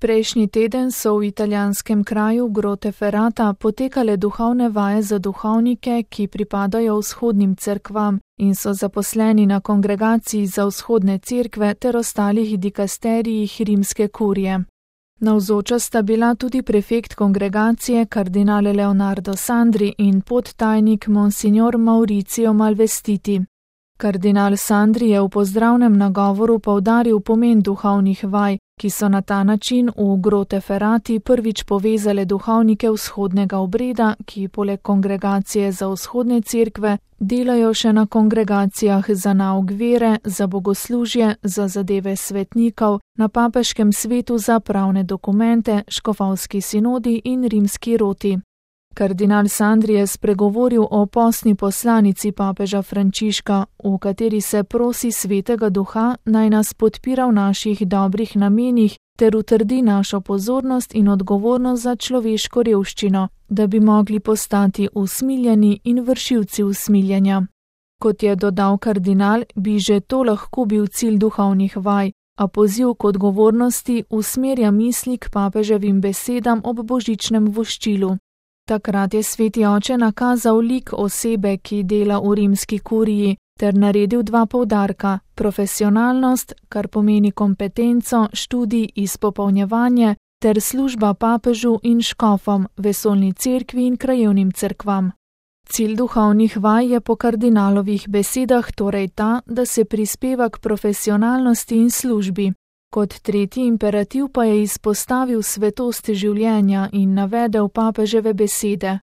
Prejšnji teden so v italijanskem kraju Groteferrata potekale duhovne vaje za duhovnike, ki pripadajo vzhodnim cerkvam in so zaposleni na kongregaciji za vzhodne cerkve ter ostalih dikasterijih rimske kurije. Navzoča sta bila tudi prefekt kongregacije kardinal Leonardo Sandri in podtajnik monsignor Mauricio Malvestiti. Kardinal Sandri je v pozdravnem nagovoru poudaril pomen duhovnih vaj, ki so na ta način v Groteferrati prvič povezale duhovnike vzhodnega obreda, ki poleg kongregacije za vzhodne cerkve delajo še na kongregacijah za nauk vere, za bogoslužje, za zadeve svetnikov, na papeškem svetu za pravne dokumente, škofovski sinodi in rimski roti. Kardinal Sandri je spregovoril o postni poslanici papeža Frančiška, v kateri se prosi Svetega Duha, naj nas podpira v naših dobrih namenih ter utrdi našo pozornost in odgovornost za človeško revščino, da bi mogli postati usmiljeni in vršilci usmiljenja. Kot je dodal kardinal, bi že to lahko bil cilj duhovnih vaj, a poziv k odgovornosti usmerja misli k papeževim besedam ob božičnem voščilu. Takrat je sveti oče nakazal lik osebe, ki dela v rimski kuriji, ter naredil dva poudarka: profesionalnost, kar pomeni kompetenco, študij, izpopolnjevanje, ter služba papežu in škofom, vesoljni cerkvi in krajevnim cerkvam. Cilj duhovnih vaj je po kardinalovih besedah torej ta, da se prispeva k profesionalnosti in službi. Kot tretji imperativ pa je izpostavil svetost življenja in navedel papeževe besede.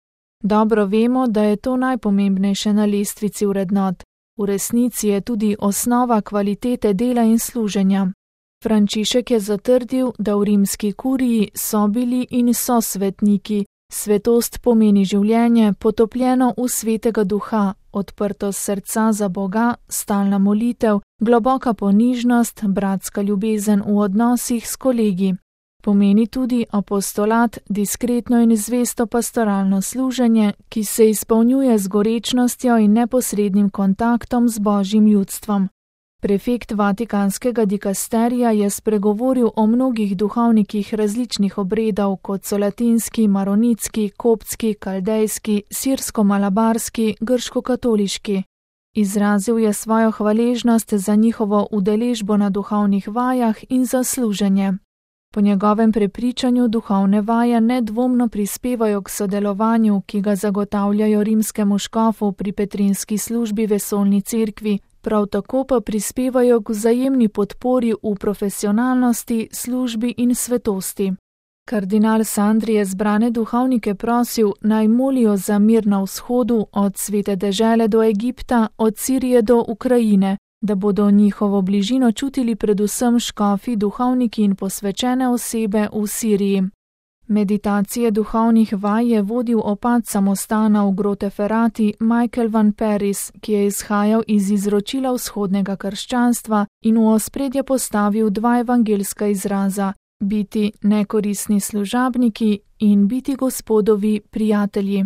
Dobro vemo, da je to najpomembnejše na lestvici vrednot. V resnici je tudi osnova kvalitete dela in služenja. Frančišek je zatrdil, da v rimski kuriji so bili in so svetniki. Svetost pomeni življenje, potopljeno v Svetega Duha, odprtost srca za Boga, stalna molitev, globoka ponižnost, bratska ljubezen v odnosih s kolegi. Pomeni tudi apostolat, diskretno in zvesto pastoralno služenje, ki se izpolnjuje z gorečnostjo in neposrednim kontaktom z Božjim ljudstvom. Prefekt vatikanskega dikasterija je spregovoril o mnogih duhovnikih različnih obredov, kot so latinski, maronitski, koptski, kaldejski, sirsko-malabarski, grško-katoliški. Izrazil je svojo hvaležnost za njihovo udeležbo na duhovnih vajah in za služenje. Po njegovem prepričanju duhovne vaje nedvomno prispevajo k sodelovanju, ki ga zagotavljajo rimskemu škofu pri petrinski službi vesoljni cerkvi, prav tako pa prispevajo k vzajemni podpori v profesionalnosti, službi in svetosti. Kardinal Sandri je zbrane duhovnike prosil, naj molijo za mir na vzhodu, od Svete dežele do Egipta, od Sirije do Ukrajine, da bodo njihovo bližino čutili predvsem škofi, duhovniki in posvečene osebe v Siriji. Meditacije duhovnih vaj je vodil opat samostana v Groteferrati Michael van Paris, ki je izhajal iz izročila vzhodnega krščanstva in v ospredje postavil dva evangelska izraza: biti nekoristni služabniki in biti Gospodovi prijatelji.